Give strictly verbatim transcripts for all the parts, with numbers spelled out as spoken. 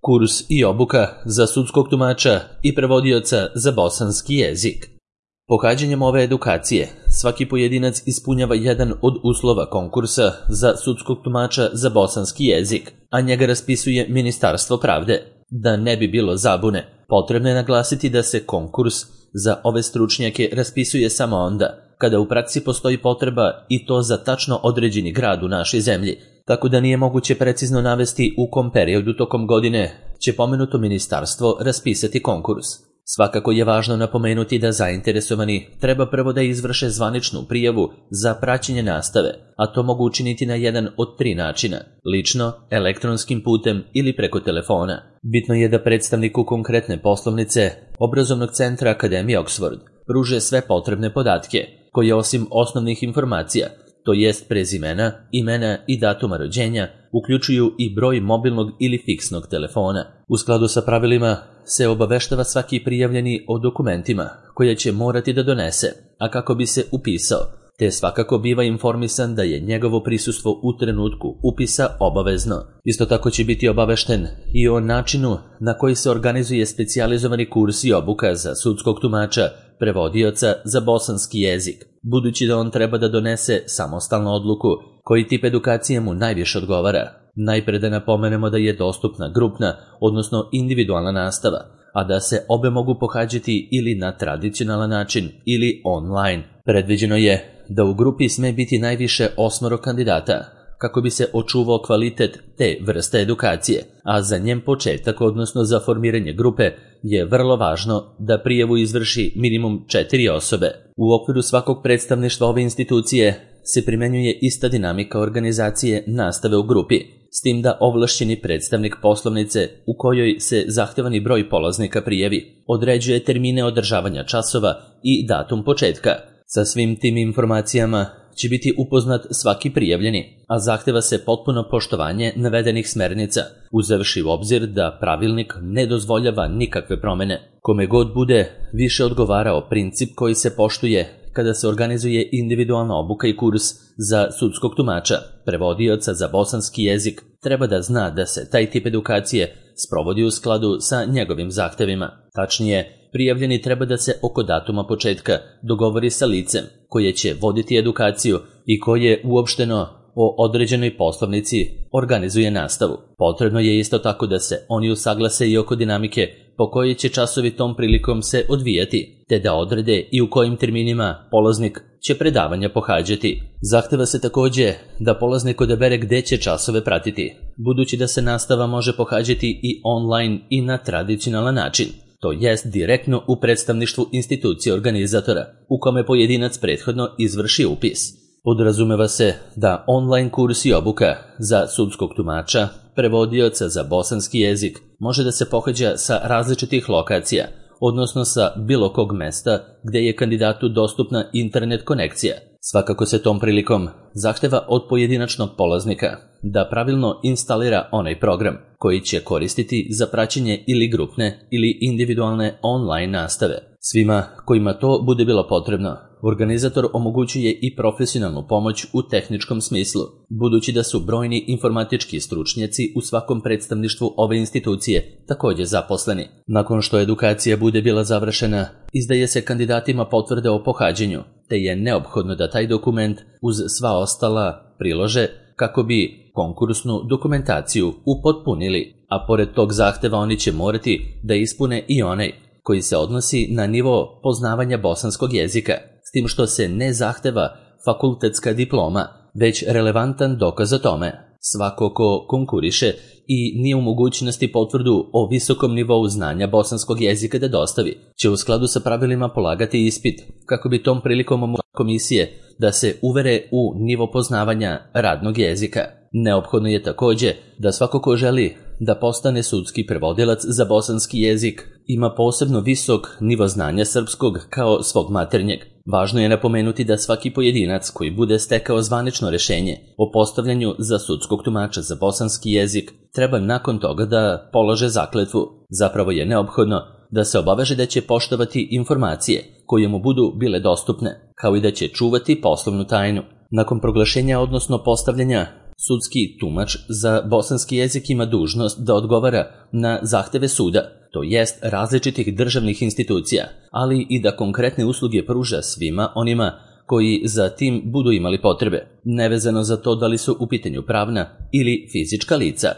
Kurs i obuka za sudskog tumača i prevodioca za bosanski jezik. Pohađanjem ove edukacije, svaki pojedinac ispunjava jedan od uslova konkursa za sudskog tumača za bosanski jezik, a njega raspisuje Ministarstvo pravde. Da ne bi bilo zabune, potrebno je naglasiti da se konkurs za ove stručnjake raspisuje samo onda kada u praksi postoji potreba i to za tačno određeni grad u našoj zemlji, tako da nije moguće precizno navesti u kom periodu tokom godine će pomenuto ministarstvo raspisati konkurs. Svakako je važno napomenuti da zainteresovani treba prvo da izvrše zvaničnu prijavu za praćenje nastave, a to mogu učiniti na jedan od tri načina: lično, elektronskim putem ili preko telefona. Bitno je da predstavniku konkretne poslovnice Obrazovnog centra Akademije Oxford pruže sve potrebne podatke, koje osim osnovnih informacija, to jest prezimena, imena i datuma rođenja, uključuju i broj mobilnog ili fiksnog telefona. U skladu sa pravilima se obaveštava svaki prijavljeni o dokumentima koje će morati da donese, a kako bi se upisao, te svakako biva informisan da je njegovo prisustvo u trenutku upisa obavezno. Isto tako će biti obavešten i o načinu na koji se organizuje specijalizovani kurs i obuka za sudskog tumača, prevodioca za bosanski jezik, budući da on treba da donese samostalnu odluku koji tip edukacije mu najviše odgovara. Najpre da napomenemo da je dostupna grupna, odnosno individualna nastava, a da se obe mogu pohađati ili na tradicionalan način ili online. Predviđeno je da u grupi sme biti najviše osmoro kandidata, kako bi se očuvao kvalitet te vrste edukacije, a za njen početak, odnosno za formiranje grupe, je vrlo važno da prijavu izvrši minimum četiri osobe. U okviru svakog predstavništva ove institucije se primenjuje ista dinamika organizacije nastave u grupi, s tim da ovlašćeni predstavnik poslovnice u kojoj se zahtevani broj polaznika prijavi određuje termine održavanja časova i datum početka. Sa svim tim informacijama će biti upoznat svaki prijavljeni, a zahteva se potpuno poštovanje navedenih smernica, uzevši u obzir da pravilnik ne dozvoljava nikakve promene. Kome god bude više odgovarao princip koji se poštuje kada se organizuje individualna obuka i kurs za sudskog tumača, prevodioca za bosanski jezik, treba da zna da se taj tip edukacije sprovodi u skladu sa njegovim zahtevima. Tačnije, prijavljeni treba da se oko datuma početka dogovori sa licem koje će voditi edukaciju i koje uopšteno o određenoj poslovnici organizuje nastavu. Potrebno je isto tako da se oni usaglase i oko dinamike po kojoj će časovi tom prilikom se odvijati, te da odrede i u kojim terminima polaznik će predavanja pohađati. Zahteva se takođe da polaznik odabere gde će časove pratiti, budući da se nastava može pohađati i online i na tradicionalan način, to jest direktno u predstavništvu institucije organizatora, u kome pojedinac prethodno izvrši upis. Podrazumeva se da online kurs i obuka za sudskog tumača, prevodioca za bosanski jezik može da se pohađa sa različitih lokacija, odnosno sa bilo kog mesta gde je kandidatu dostupna internet konekcija. Svakako se tom prilikom zahteva od pojedinačnog polaznika da pravilno instalira onaj program koji će koristiti za praćenje ili grupne ili individualne online nastave. Svima kojima to bude bilo potrebno, organizator omogućuje i profesionalnu pomoć u tehničkom smislu, budući da su brojni informatički stručnjaci u svakom predstavništvu ove institucije takođe zaposleni. Nakon što edukacija bude bila završena, izdaje se kandidatima potvrda o pohađanju, te je neophodno da taj dokument uz sva ostala prilože kako bi konkursnu dokumentaciju upotpunili, a pored tog zahteva oni će morati da ispune i onaj koji se odnosi na nivo poznavanja bosanskog jezika, s tim što se ne zahteva fakultetska diploma, već relevantan dokaz o tome. Svako ko konkuriše i nije u mogućnosti potvrdu o visokom nivou znanja bosanskog jezika da dostavi, će u skladu sa pravilima polagati ispit, kako bi tom prilikom omogućila komisije da se uvere u nivo poznavanja radnog jezika. Neophodno je takođe da svako ko želi da postane sudski prevodilac za bosanski jezik ima posebno visok nivo znanja srpskog kao svog maternjeg. Važno je napomenuti da svaki pojedinac koji bude stekao zvanično rešenje o postavljanju za sudskog tumača za bosanski jezik treba nakon toga da polaže zakletvu. Zapravo je neophodno da se obaveže da će poštovati informacije koje mu budu bile dostupne, kao i da će čuvati poslovnu tajnu. Nakon proglašenja, odnosno postavljanja Sudski tumač za bosanski jezik ima dužnost da odgovara na zahteve suda, to jest različitih državnih institucija, ali i da konkretne usluge pruža svima onima koji za tim budu imali potrebe, nevezano za to da li su u pitanju pravna ili fizička lica.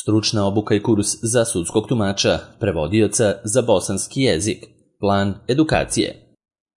Stručna obuka i kurs za sudskog tumača, prevodioca za bosanski jezik, plan edukacije.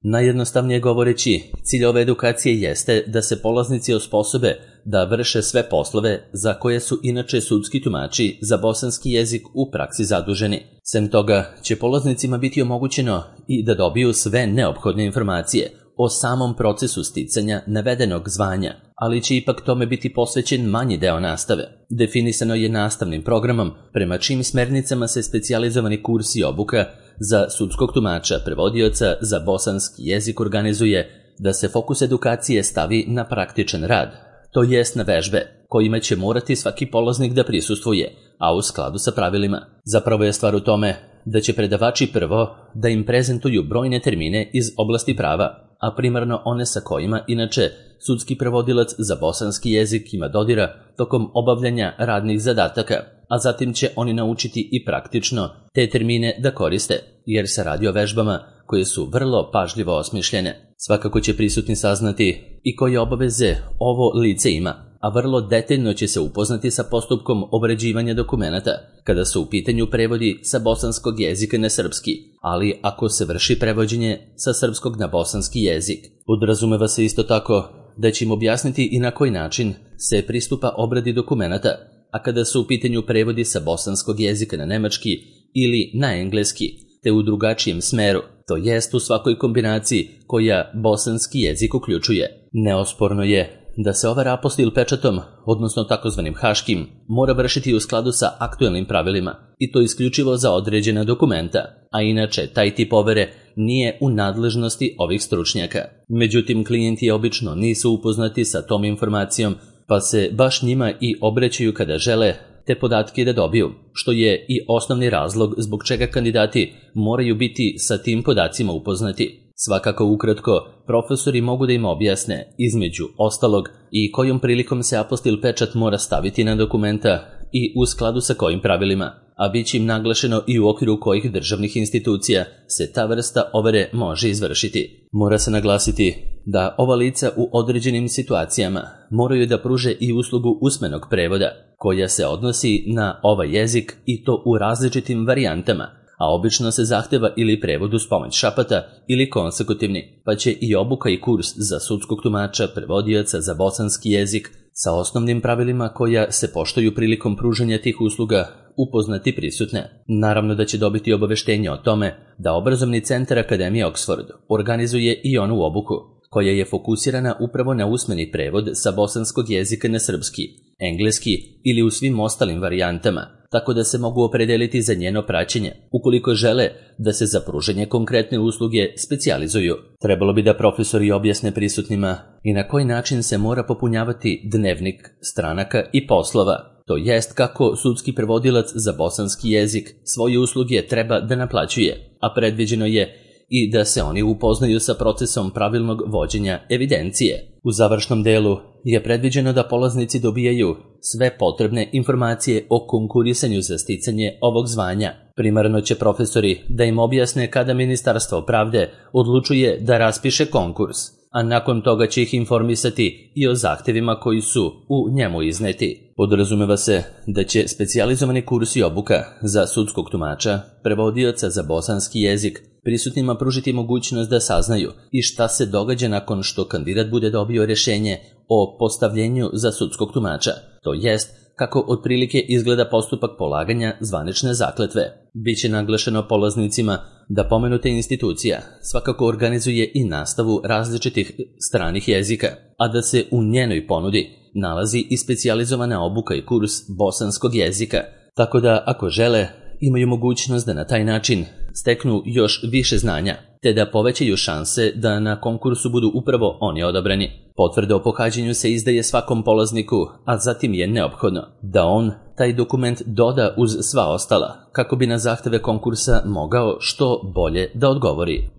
Najjednostavnije govoreći, cilj ove edukacije jeste da se polaznici osposobe da vrše sve poslove za koje su inače sudski tumači za bosanski jezik u praksi zaduženi. Sem toga će polaznicima biti omogućeno i da dobiju sve neophodne informacije o samom procesu sticanja navedenog zvanja, ali će ipak tome biti posvećen manji deo nastave. Definisano je nastavnim programom prema čim smernicama se specijalizovani kurs i obuka za sudskog tumača, prevodioca za bosanski jezik organizuje da se fokus edukacije stavi na praktičan rad, to jest na vežbe, kojima će morati svaki polaznik da prisustvuje, a u skladu sa pravilima. Zapravo je stvar u tome da će predavači prvo da im prezentuju brojne termine iz oblasti prava, a primarno one sa kojima, inače, sudski prevodilac za bosanski jezik ima dodira tokom obavljanja radnih zadataka, a zatim će oni naučiti i praktično te termine da koriste, jer se radi o vežbama koje su vrlo pažljivo osmišljene. Svakako će prisutni saznati i koje obaveze ovo lice ima, a vrlo detaljno će se upoznati sa postupkom obrađivanja dokumenata kada su u pitanju prevodi sa bosanskog jezika na srpski, ali ako se vrši prevođenje sa srpskog na bosanski jezik. Podrazumeva se isto tako da će im objasniti i na koji način se pristupa obradi dokumenata, a kada su u pitanju prevodi sa bosanskog jezika na nemački ili na engleski, te u drugačijem smeru, to jest u svakoj kombinaciji koja bosanski jezik uključuje. Neosporno je da se ova apostil pečatom, odnosno takozvanim haškim, mora vršiti u skladu sa aktuelnim pravilima, i to isključivo za određena dokumenta, a inače taj tip overe nije u nadležnosti ovih stručnjaka. Međutim, klijenti obično nisu upoznati sa tom informacijom, pa se baš njima i obraćaju kada žele te podatke da dobiju, što je i osnovni razlog zbog čega kandidati moraju biti sa tim podacima upoznati. Svakako ukratko, profesori mogu da im objasne, između ostalog, i kojom prilikom se apostil pečat mora staviti na dokumenta i u skladu sa kojim pravilima, a bit će im naglašeno i u okviru kojih državnih institucija se ta vrsta overe može izvršiti. Mora se naglasiti da ova lica u određenim situacijama moraju da pruže i uslugu usmenog prevoda, koja se odnosi na ovaj jezik i to u različitim varijantama, a obično se zahteva ili prevod uz pomoć šapata ili konsekutivni, pa će i obuka i kurs za sudskog tumača, prevodioca za bosanski jezik sa osnovnim pravilima koja se poštuju prilikom pružanja tih usluga upoznati prisutne. Naravno da će dobiti obaveštenje o tome da obrazovni centar Akademije Oxford organizuje i onu obuku, koja je fokusirana upravo na usmeni prevod sa bosanskog jezika na srpski, engleski ili u svim ostalim varijantama, tako da se mogu opredeliti za njeno praćenje, ukoliko žele da se za pružanje konkretne usluge specijalizuju. Trebalo bi da profesori objasne prisutnima i na koji način se mora popunjavati dnevnik stranaka i poslova, to jest kako sudski prevodilac za bosanski jezik svoje usluge treba da naplaćuje, a predviđeno je i da se oni upoznaju sa procesom pravilnog vođenja evidencije. U završnom delu je predviđeno da polaznici dobijaju sve potrebne informacije o konkurisanju za sticanje ovog zvanja. Primarno će profesori da im objasne kada Ministarstvo pravde odlučuje da raspiše konkurs, a nakon toga će ih informisati i o zahtevima koji su u njemu izneti. Podrazumeva se da će specijalizovani kurs i obuka za sudskog tumača, prevodioca za bosanski jezik, prisutnima pružiti mogućnost da saznaju i šta se događa nakon što kandidat bude dobio rješenje o postavljenju za sudskog tumača, to jest kako otprilike izgleda postupak polaganja zvanične zakletve. Biće naglašeno polaznicima da pomenuta institucija svakako organizuje i nastavu različitih stranih jezika, a da se u njenoj ponudi nalazi i specijalizovana obuka i kurs bosanskog jezika, tako da ako žele imaju mogućnost da na taj način steknu još više znanja, te da povećaju šanse da na konkursu budu upravo oni odabrani. Potvrda o pohađanju se izdaje svakom polazniku, a zatim je neophodno da on taj dokument doda uz sva ostala, kako bi na zahteve konkursa mogao što bolje da odgovori.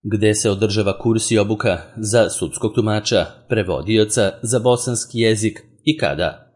Gde se održava kurs i obuka za sudskog tumača, prevodioca za bosanski jezik, i kada.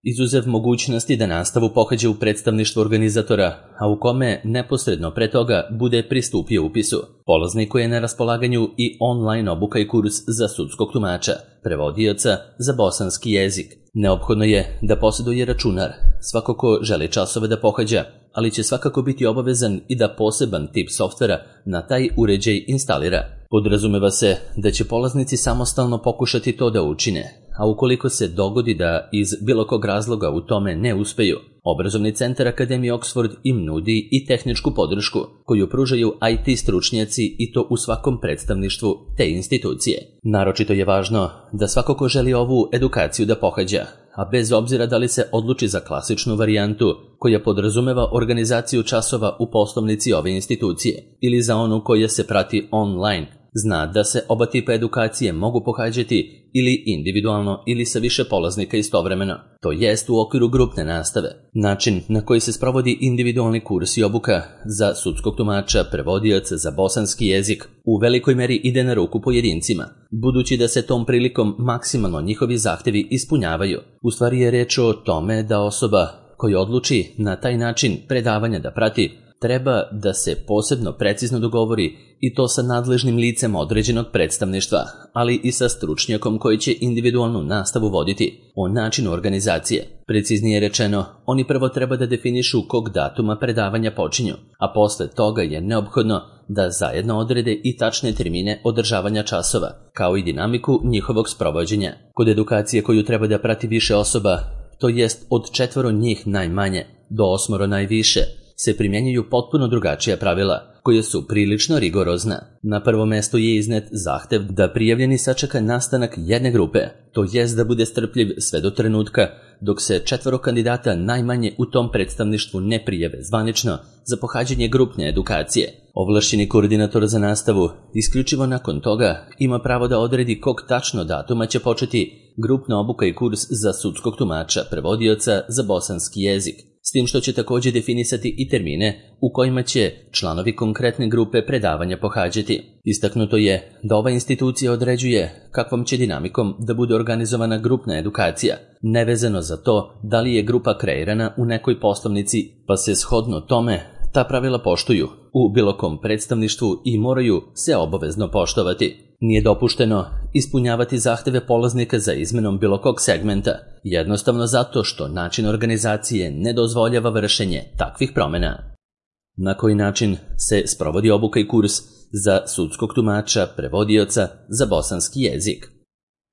Izuzev mogućnosti da nastavu pohađa u predstavništvu organizatora, a u kome neposredno pre toga bude pristupio upisu, polazniku je na raspolaganju i online obuka i kurs za sudskog tumača, prevodioca za bosanski jezik. Neophodno je da posjeduje računar, svako ko želi časove da pohađa, ali će svakako biti obavezan i da poseban tip softvera na taj uređaj instalira. Podrazumeva se da će polaznici samostalno pokušati to da učine, a ukoliko se dogodi da iz bilo kog razloga u tome ne uspeju, Obrazovni centar Akademije Oxford im nudi i tehničku podršku koju pružaju I T stručnjaci i to u svakom predstavništvu te institucije. Naročito je važno da svako ko želi ovu edukaciju da pohađa, a bez obzira da li se odluči za klasičnu varijantu koja podrazumeva organizaciju časova u poslovnici ove institucije ili za onu koja se prati online, zna da se oba tipa edukacije mogu pohađati ili individualno ili sa više polaznika istovremeno, to jest u okviru grupne nastave. Način na koji se sprovodi individualni kurs i obuka za sudskog tumača, prevodioca za bosanski jezik u velikoj meri ide na ruku pojedincima, budući da se tom prilikom maksimalno njihovi zahtevi ispunjavaju. U stvari je reč o tome da osoba koja odluči na taj način predavanja da prati treba da se posebno precizno dogovori i to sa nadležnim licem određenog predstavništva, ali i sa stručnjakom koji će individualnu nastavu voditi o načinu organizacije. Preciznije rečeno, oni prvo treba da definišu kog datuma predavanja počinju, a posle toga je neophodno da zajedno odrede i tačne termine održavanja časova, kao i dinamiku njihovog sprovođenja. Kod edukacije koju treba da prati više osoba, to jest od četvoro njih najmanje do osmoro najviše, se primjenjuju potpuno drugačija pravila, koje su prilično rigorozna. Na prvom mestu je iznet zahtev da prijavljeni sačeka nastanak jedne grupe, to jest da bude strpljiv sve do trenutka dok se četvoro kandidata najmanje u tom predstavništvu ne prijave zvanično za pohađanje grupne edukacije. Ovlašćeni koordinator za nastavu isključivo nakon toga ima pravo da odredi kog tačno datuma će početi grupna obuka i kurs za sudskog tumača, prevodioca za bosanski jezik, s tim što će također definisati i termine u kojima će članovi konkretne grupe predavanja pohađati. Istaknuto je da ova institucija određuje kakvom će dinamikom da bude organizovana grupna edukacija, nevezano za to da li je grupa kreirana u nekoj poslovnici, pa se shodno tome ta pravila poštuju u bilo kom predstavništvu i moraju se obavezno poštovati. Nije dopušteno ispunjavati zahteve polaznika za izmenom bilo kog segmenta, jednostavno zato što način organizacije ne dozvoljava vršenje takvih promjena. Na koji način se sprovodi obuka i kurs za sudskog tumača, prevodioca za bosanski jezik?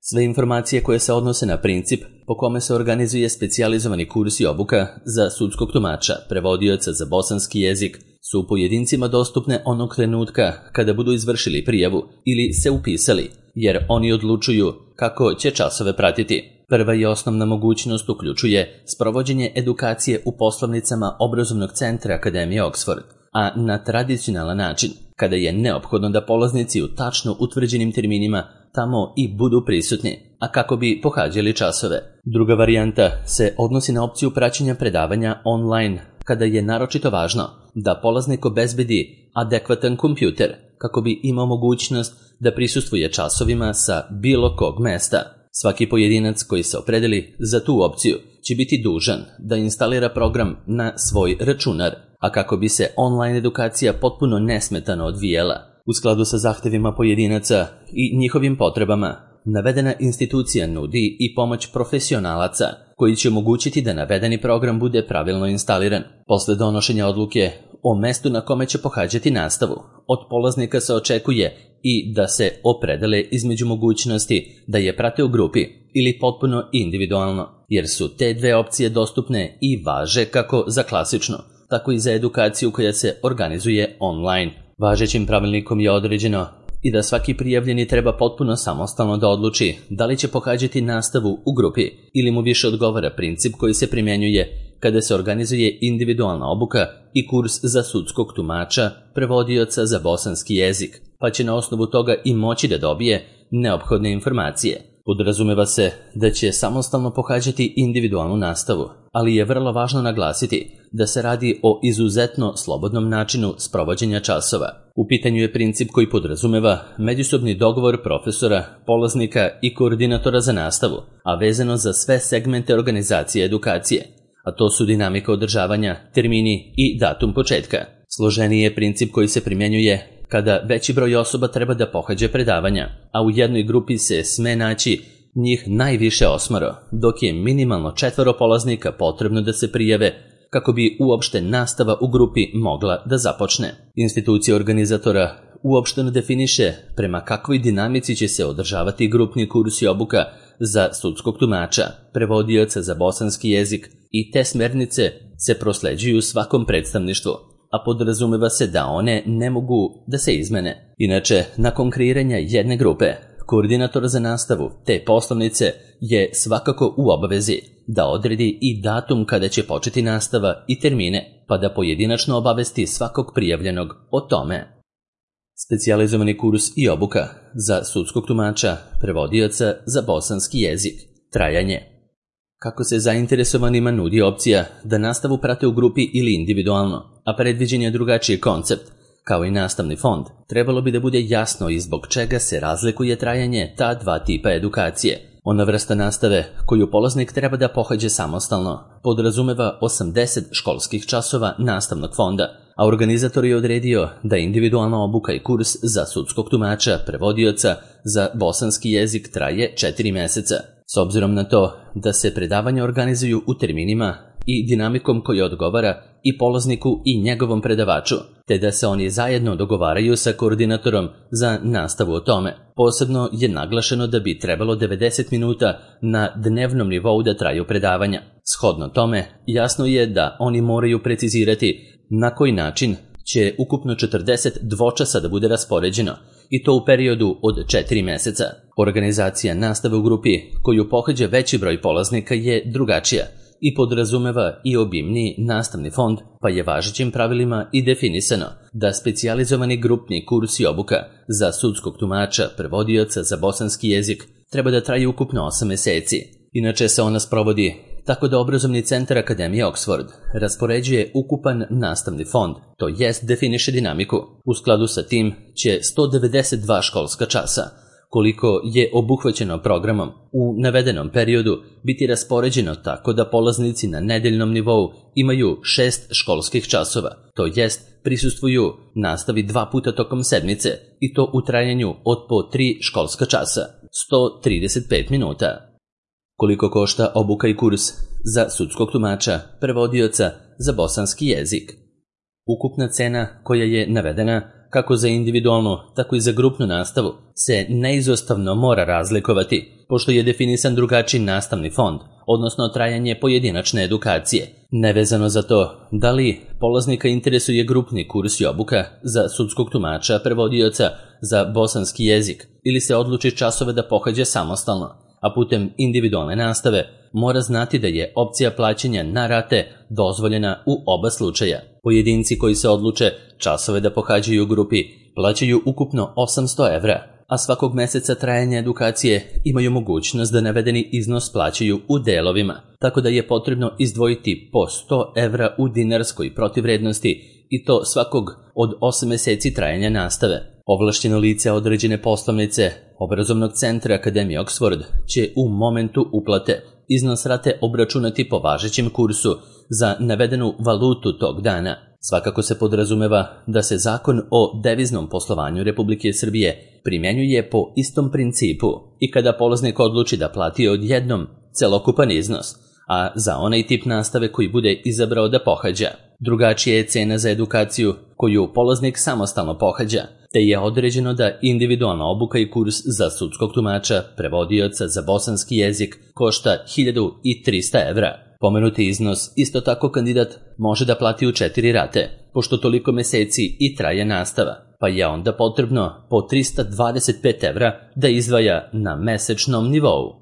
Sve informacije koje se odnose na princip po kome se organizuje specijalizovani kurs i obuka za sudskog tumača, prevodioca za bosanski jezik su pojedincima dostupne onog trenutka kada budu izvršili prijavu ili se upisali, jer oni odlučuju kako će časove pratiti. Prva i osnovna mogućnost uključuje sprovođenje edukacije u poslovnicama Obrazovnog centra Akademije Oxford, a na tradicionalan način, kada je neophodno da polaznici u tačno utvrđenim terminima tamo i budu prisutni, a kako bi pohađali časove. Druga varijanta se odnosi na opciju praćenja predavanja online, kada je naročito važno da polaznik obezbedi adekvatan kompjuter, kako bi imao mogućnost da prisustvuje časovima sa bilo kog mesta. Svaki pojedinac koji se opredeli za tu opciju će biti dužan da instalira program na svoj računar, a kako bi se online edukacija potpuno nesmetano odvijela u skladu sa zahtevima pojedinaca i njihovim potrebama, navedena institucija nudi i pomoć profesionalaca koji će omogućiti da navedeni program bude pravilno instaliran. Posle donošenja odluke o mestu na kome će pohađati nastavu, od polaznika se očekuje i da se opredele između mogućnosti da je prate u grupi ili potpuno individualno, jer su te dve opcije dostupne i važe kako za klasičnu, tako i za edukaciju koja se organizuje online. Važećim pravilnikom je određeno i da svaki prijavljeni treba potpuno samostalno da odluči da li će pohađati nastavu u grupi ili mu više odgovara princip koji se primjenjuje kada se organizuje individualna obuka i kurs za sudskog tumača, prevodioca za bosanski jezik, pa će na osnovu toga i moći da dobije neophodne informacije. Podrazumeva se da će samostalno pohađati individualnu nastavu, ali je vrlo važno naglasiti da se radi o izuzetno slobodnom načinu sprovođenja časova. U pitanju je princip koji podrazumeva međusobni dogovor profesora, polaznika i koordinatora za nastavu, a vezano za sve segmente organizacije edukacije, a to su dinamika održavanja, termini i datum početka. Složeniji je princip koji se primjenjuje kada veći broj osoba treba da pohađa predavanja, a u jednoj grupi se sme naći njih najviše osmoro, dok je minimalno četvoro polaznika potrebno da se prijave kako bi uopšte nastava u grupi mogla da započne. Institucija organizatora uopšteno definiše prema kakvoj dinamici će se održavati grupni kurs i obuka za sudskog tumača, prevodioca za bosanski jezik i te smernice se prosleđuju svakom predstavništvu, a podrazumeva se da one ne mogu da se izmene. Inače, nakon kreiranja jedne grupe, koordinator za nastavu te poslovnice je svakako u obavezi da odredi i datum kada će početi nastava i termine, pa da pojedinačno obavesti svakog prijavljenog o tome. Specijalizovani kurs i obuka za sudskog tumača, prevodioca za bosanski jezik. Trajanje. Kako se zainteresovanima nudi opcija da nastavu prate u grupi ili individualno, a predviđen je drugačiji koncept, kao i nastavni fond, trebalo bi da bude jasno i zbog čega se razlikuje trajanje ta dva tipa edukacije. Ona vrsta nastave koju polaznik treba da pohađe samostalno podrazumeva osamdeset školskih časova nastavnog fonda, a organizator je odredio da individualna obuka i kurs za sudskog tumača, prevodioca za bosanski jezik traje četiri meseca. S obzirom na to da se predavanja organizuju u terminima i dinamikom koja odgovara i polazniku i njegovom predavaču, te da se oni zajedno dogovaraju sa koordinatorom za nastavu o tome. Posebno je naglašeno da bi trebalo devedeset minuta na dnevnom nivou da traju predavanja. Shodno tome, jasno je da oni moraju precizirati na koji način će ukupno četrdeset dvočasa da bude raspoređeno, i to u periodu od četiri meseca. Organizacija nastave u grupi koju pohađa veći broj polaznika je drugačija i podrazumeva i obimniji nastavni fond, pa je važećim pravilima i definisano da specijalizovani grupni kurs i obuka za sudskog tumača, prevodioca za bosanski jezik treba da traje ukupno osam meseci. Inače se ona sprovodi tako da obrazovni centar Akademije Oxford raspoređuje ukupan nastavni fond, to jest definiše dinamiku. U skladu sa tim će sto devedeset dva školska časa, koliko je obuhvaćeno programom u navedenom periodu, biti raspoređeno tako da polaznici na nedeljnom nivou imaju šest školskih časova, to jest prisustvuju nastavi dva puta tokom sedmice i to u trajanju od po tri školska časa, sto trideset pet minuta. Koliko košta obuka i kurs za sudskog tumača, prevodioca za bosanski jezik? Ukupna cena koja je navedena kako za individualnu, tako i za grupnu nastavu se neizostavno mora razlikovati, pošto je definisan drugačiji nastavni fond, odnosno trajanje pojedinačne edukacije. Nevezano za to da li polaznika interesuje grupni kurs i obuka za sudskog tumača, prevodioca za bosanski jezik ili se odluči časove da pohađa samostalno, a putem individualne nastave, mora znati da je opcija plaćanja na rate dozvoljena u oba slučaja. Pojedinci koji se odluče časove da pohađaju u grupi plaćaju ukupno osamsto evra, a svakog meseca trajanja edukacije imaju mogućnost da navedeni iznos plaćaju u delovima, tako da je potrebno izdvojiti po sto evra u dinarskoj protivrednosti i to svakog od osam meseci trajanja nastave. Ovlašćeno lice određene poslovnice obrazovnog centra Akademije Oxford će u momentu uplate iznos rate obračunati po važećem kursu za navedenu valutu tog dana. Svakako se podrazumeva da se Zakon o deviznom poslovanju Republike Srbije primjenjuje po istom principu i kada polaznik odluči da plati odjednom celokupan iznos, a za onaj tip nastave koji bude izabrao da pohađa. Drugačija je cena za edukaciju koju polaznik samostalno pohađa, te je određeno da individualna obuka i kurs za sudskog tumača, prevodioca za bosanski jezik košta hiljadu trista evra. Pomenuti iznos isto tako kandidat može da plati u četiri rate, pošto toliko meseci i traje nastava, pa je onda potrebno po trista dvadeset pet evra da izdvaja na mesečnom nivou.